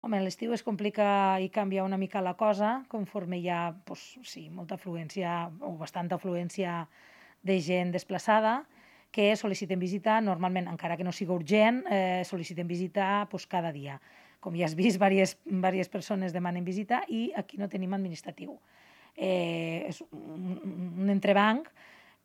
Home, a l'estiu es complica i canvia una mica la cosa, conforme hi ha, doncs, sí, molta afluència o bastanta afluència de gent desplaçada que sol·liciten visita, normalment, encara que no sigui urgent, sol·liciten visita doncs, cada dia. Com ja has vist, diverses persones demanen visita i aquí no tenim administratiu. És un entrebanc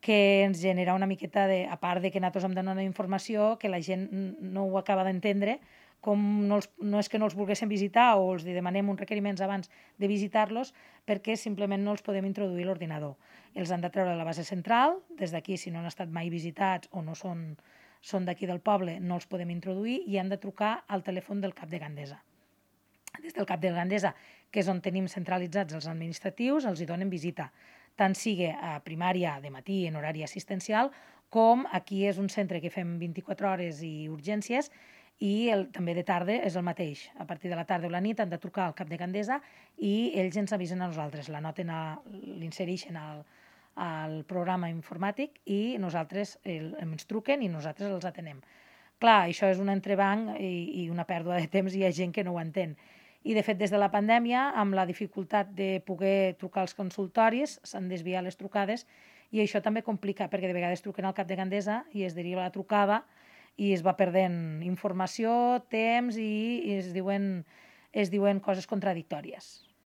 que ens genera una miqueta de, a part de que nosaltres hem de donar informació, que la gent no ho acaba d'entendre, com no és que no els volguéssim visitar o els demanem uns requeriments abans de visitar-los, perquè simplement no els podem introduir a l'ordinador. Els han de treure de la base central, des d'aquí, si no han estat mai visitats o no són d'aquí del poble, no els podem introduir i han de trucar al telèfon del cap de Gandesa. Des del cap de Gandesa, que és on tenim centralitzats els administratius, els hi donen visita, tant sigui a primària de matí en horari assistencial, com aquí és un centre que fem 24 hores i urgències, i també de tarda és el mateix. A partir de la tarda o la nit han de trucar al cap de Gandesa i ells ens avisen a nosaltres, l'insereixen al programa informàtic i nosaltres ens truquen i nosaltres els atenem. Clar, això és un entrebanc i una pèrdua de temps i hi ha gent que no ho entén. I, de fet, des de la pandèmia, amb la dificultat de poder trucar als consultoris, s'han desviat les trucades i això també complica, perquè de vegades truquen al cap de Gandesa i es deriva la trucada i es va perdent informació, temps i es diuen coses contradictòries.